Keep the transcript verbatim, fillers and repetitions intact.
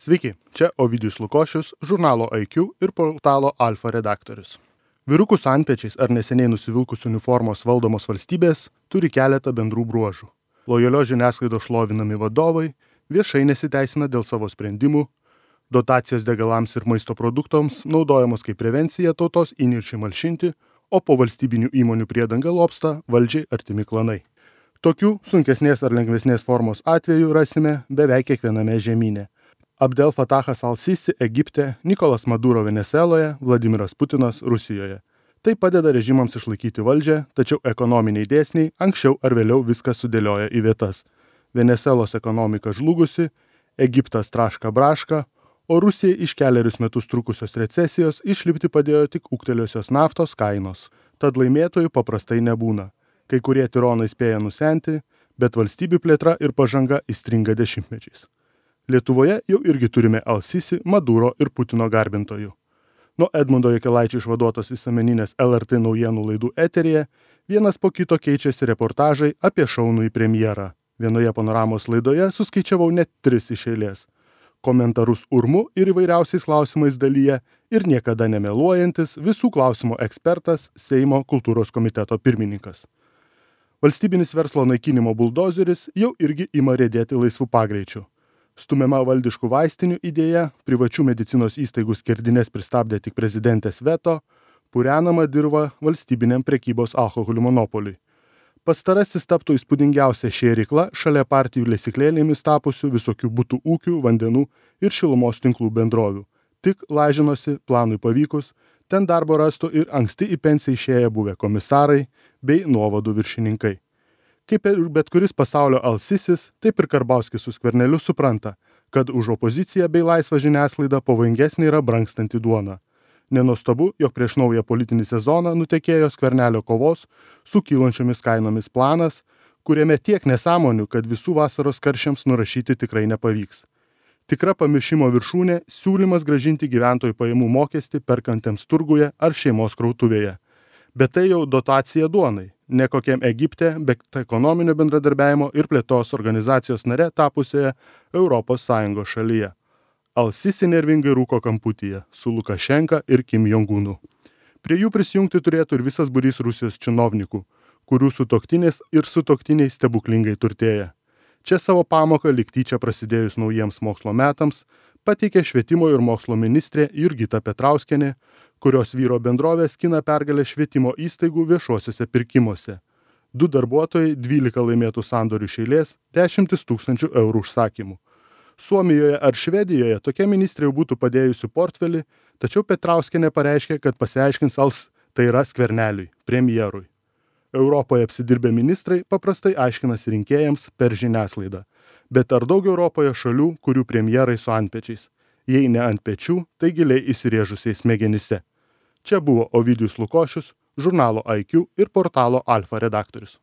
Sveiki, čia Ovidijus Lukošius, žurnalo I Q ir portalo Alfa redaktorius. Vyrukų su antpečiais ar neseniai nusivilkus uniformos valdomos valstybės turi keletą bendrų bruožų. Lojalios žiniasklaidos šlovinami vadovai viešai nesiteisina dėl savo sprendimų, dotacijos degalams ir maisto produktams naudojamos kaip prevencija tautos įniršiui malšinti, o po valstybinių įmonių priedanga lobsta valdžiai artimi klanai. Tokių sunkesnės ar lengvesnės formos atvejų rasime beveik kiekviename žemyne. Abdel Fatahas al-Sisi Egipte, Nikolas Maduro Venesueloje, Vladimiras Putinas Rusijoje. Tai padeda režimams išlaikyti valdžią, tačiau ekonominiai dėsniai anksčiau ar vėliau viską sudėlioja į vietas. Venesuelos ekonomika žlugusi, Egiptas traška braška, o Rusijai iš kelerius metus trukusios recesijos išlipti padėjo tik ūgtelėjusios naftos kainos. Tad laimėtojų paprastai nebūna. Kai kurie tironai spėja nusenti, bet valstybių plėtra ir pažanga įstringa dešimtmečiais. Lietuvoje jau irgi turime al-Sisi, Maduro ir Putino garbintojų. Nuo Edmundo Jakilaičio išvaduotos visuomeninės L R T naujienų laidų eteryje vienas po kito keičiasi reportažai apie šaunųjį premjerą. Vienoje panoramos laidoje suskaičiavau net tris iš eilės. Komentarus urmu ir įvairiausiais klausimais dalyje ir niekada nemeluojantis visų klausimų ekspertas Seimo kultūros komiteto pirmininkas. Valstybinis verslo naikinimo buldozeris jau irgi ima riedėti laisvų pagreičių. Stumiama valdiškų vaistinių idėja, privačių medicinos įstaigų skerdines pristabdė tik prezidentės veto, purenama dirva valstybiniam prekybos alkoholių monopoliui. Pastarasis taptų įspūdingiausia šėrykla šalia partijų lesyklėlėmis tapusių visokių butų ūkių, vandenų ir šilumos tinklų bendrovių. Tik lažinosi, planui pavykus, ten darbo rastų ir anksti į pensiją išėję buvę komisarai bei nuovadų viršininkai. Kaip ir bet kuris pasaulio al-Sisis, taip ir Karbauskis su Skverneliu supranta, kad už opoziciją bei laisvą žiniasklaidą pavojingesnė yra brangstanti duona. Nenuostabu, jog prieš naują politinį sezoną nutekėjo Skvernelio kovos su kylančiomis kainomis planas, kuriame tiek nesąmonių, kad visų vasaros karščiams nurašyti tikrai nepavyks. Tikra pamiršimo viršūnė – siūlymas grąžinti gyventojų pajamų mokestį perkantiems turguje ar šeimos krautuvėje. Bet tai jau dotacija duonai, ne kokiam Egipte, bet ekonominio bendradarbiavimo ir plėtos organizacijos nare tapusioje Europos Sąjungos šalyje. Al-Sisi nervingai rūko kamputyje su Lukašenka ir Kim Jong-unu. Prie jų prisijungti turėtų ir visas būrys Rusijos činovnikų, kurių sutuoktinės ir sutuoktiniai stebuklingai turtėja. Čia savo pamoką lyg tyčia prasidėjus naujiems mokslo metams pateikė švietimo ir mokslo ministrė Jurgita Petrauskienė, kurios vyro bendrovė skina pergalę švietimo įstaigų viešuosiuose pirkimuose. Du darbuotojai, dvylika laimėtų sandorių iš eilės, dešimtis tūkstančių eurų užsakymų. Suomijoje ar Švedijoje tokia ministrė jau būtų padėjusi portfelį, tačiau Petrauskienė pareiškė, kad pasiaiškins als tai yra Skverneliui, premjerui. Europoje apsidirbę ministrai paprastai aiškinasi rinkėjams per žiniasklaidą. Bet ar daug Europoje šalių, kurių premjerai su antpečiais? Jei ne ant pečių, tai giliai įsirėžusiais smegenyse. Čia buvo Ovidijus Lukošius, žurnalo I Q ir portalo Alfa redaktorius.